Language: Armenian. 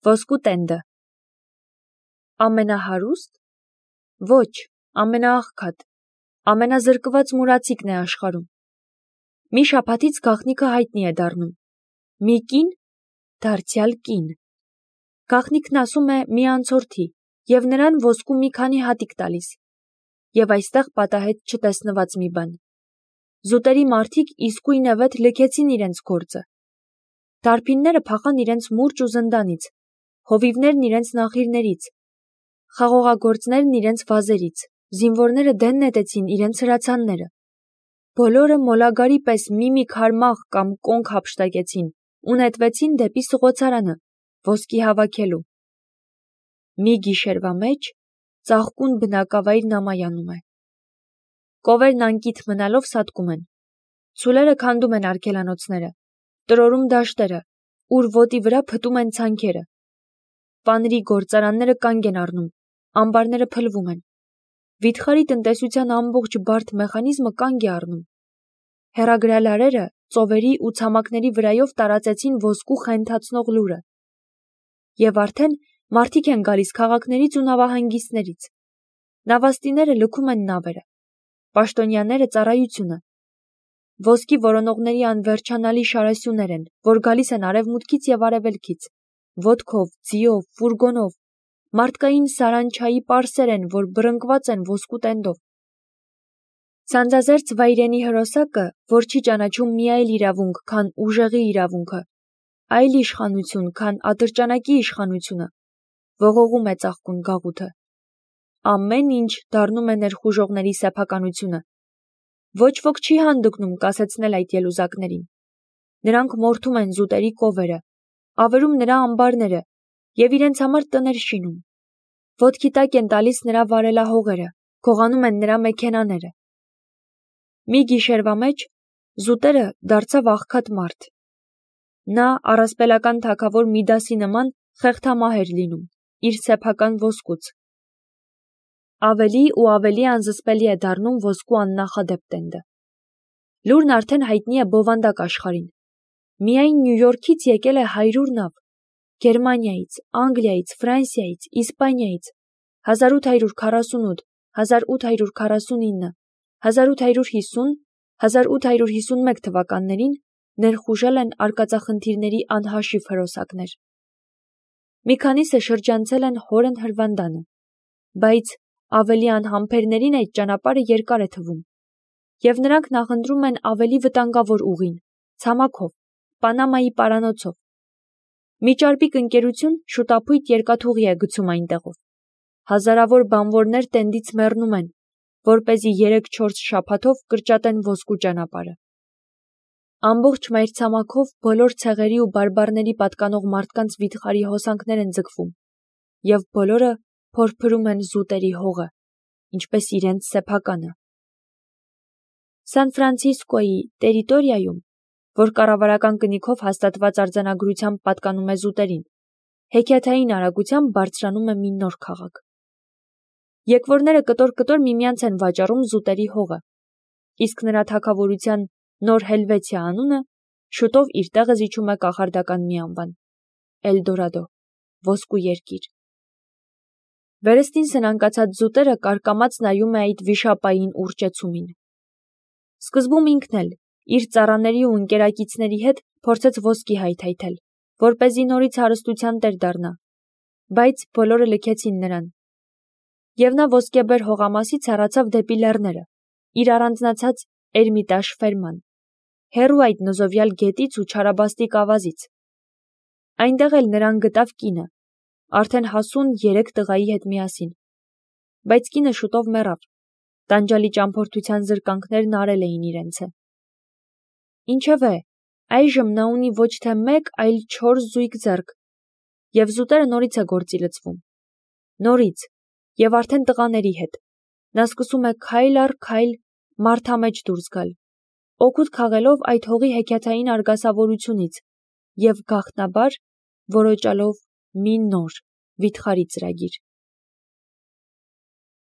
Ոսկու տենդը։ Ամենահարուստ։ Ոչ, ամենաաղքատ, ամենազրկված մուրացիկն է աշխարհում։ Մի շաբաթից գաղտնիքը հայտնի է դառնում։ Մի կին, դարձյալ կին։ Գաղտնիքն ասում է մի անցորդի և նրան ոսկու մի քանի հատիկ տալիս։ Եվ այստեղ պատահեց չտեսնված մի բան։ Զուտերի մարդիկ իսկույնևեթ լքեցին իրենց գործը։ Դարբինները փախան իրենց մուրճ ու զնդանից, հովիվներն իրենց նախիրներից, խաղողագործներն իրենց վազերից, զինվորները դեն նետեցին իրենց հրացանները։ Բոլորը մոլագարի պես մի քարմաղ կամ կոնք հափշտակեցին ու նետվեցին դեպի սղոցարանը, ոսկի հավաքելու։ Մի գիշերվա մեջ ծաղկուն բնակավայրն ամայանում է։ Կովերն անկիթ մնալով սատկում են։ Ցուլերը քանդում են արգելանոցները, տրորում դաշտերը, ուր ոտի վրա փտում են ցանքերը։ Պանրի գործարանները կանգ են առնում, ամբարները փլվում են։ Վիթխարի տնտեսության ամբողջ բարդ մեխանիզմը կանգ է առնում։ Հեռագրալարերը ծովերի ու ցամաքների վրայով տարածեցին ոսկու խենթացնող լուրը։ Եվ արդեն մարդիկ են գալիս քաղաքներից ու նավահանգիստներից։ Նավաստիները լքում են նավերը, պաշտոնյաները ծառայությունը։ Ոսկի որոնողների անվերջանալի շարասյուներ են, որ գալիս են արևմուտքից և արևելքից, ոտքով, ձիով, ֆուրգոնով, մարդկային սարանչայի պարսեր են, որ բռնկված են ոսկու տենդով։ Սանձազերծ վայրենի հրոսակը, որ չի ճանաչում մի այլ իրավունք, քան ուժեղի իրավունքը, այլ իշխանություն, քան ատրճանակի իշխանությունը, ողողում է ծաղկուն գաղութը։ Ամեն ինչ դառնում է ներխուժողների սեփականությունը։ Ոչ ոք չի հանդգնում կասեցնել այդ ելուզակներին։ Նրանք մորթում են զուտերի կովերը, ավերում նրա ամբարները և իրենց համար տներ շինում։ Ոտքի տակ են տալիս նրա վարելահողերը, գողանում են նրա մեքենաները։ Մի գիշերվա մեջ զուտերը դարձավ աղքատ մարդ։ Նա առասպելական թագավոր Միդասի նման խեղդամահ էր լինում, իր սեփական ոսկուց։ Ավելի ու ավելի անզսպելի է դառնում ոսկու աննախադեպ տենդը։ Լուրն արդեն հայտնի է բովանդակ աշխարհին։ Միայն Նյու Յորքից եկել է 100 նավ, Գերմանիայից, Անգլիայից, Ֆրանսիայից, Իսպանիայից, 1848, 1849, 1850, 1851 թվականներին ներխուժել են արկածախնդիրների անհաշիվ հրոսակներ։ Մի քանիսը շրջանցել են հորն հրվանդանը, բայց ավելի անհամբերներին այդ ճանապարհը երկար է թվում, և նրանք նախընտրում են ավելի վտանգավոր ուղին, ցամաքով, Պանամայի պարանոցով։ Մի ճարպիկ ընկերություն շուտափույթ երկաթուղի է գցում այնտեղով։ Հազարավոր բանվորներ տենդից մեռնում են, որպեսզի 3-4 շաբաթով կրճատեն ոսկու ճանապարհը։ Ամբողջ մայրցամաքով բոլոր ցեղերի ու բարբառների պատկանող մարդկանց վիթխարի հոսանքներ են ձգվում, և բոլորը փորփրում են զուտերի հողը, ինչպես իրենց սեփականը։ Սան Ֆրանցիսկոյի տերիտորիայում, որ կառավարական կնիքով հաստատված արձանագրությամբ պատկանում է զուտերին, հեքիաթային արագությամբ բարձրանում է մի նոր քաղաք։ Եկվորները կտոր-կտոր միմյանց են վաճառում զուտերի հողը, իսկ նրա թագավորության նոր Հելվեցիա անունը շուտով իր տեղը զիջում է կախարդական մի անվան՝ Էլդորադո, ոսկու երկիր։ Վերստին սնանկացած զուտերը կարկամած նայում է այդ վիշապային ուռճեցումին։ Սկզբում ինքն էլ իր ծառաների ու ընկերակիցների հետ փորձեց ոսկի հայթայթել, որպեսզի նորից հարստության տեր դառնա, բայց բոլորը լքեցին նրան։ Եվ նա ոսկեբեր հողամասից հեռացավ դեպի լեռները, իր առանձնացած Էրմիտաժ ֆերման, հեռու այդ նզովյալ գետից ու չարաբաստիկ ավազից։ Այնտեղ էլ նրան գտավ կինը, արդեն հասուն 3 տղայի հետ միասին։ Բայց կինը շուտով մեռավ, տանջալի ճամփորդության զրկանքներն արել էին իրենցը։ Ինչևէ, այժմ նա ունի ոչ թե 1, այլ 4 զույգ ձեռք, և զուտերը նորից է գործի լցվում։ Նորից, և արդեն տղաների հետ։ Նա սկսում է քայլ առ քայլ մարդամեջ դուրս գալ, օգուտ քաղելով այդ հողի հեքիաթային արգասավորությունից և գաղտնաբար որոջալով մի նոր վիթխարի ծրագիր։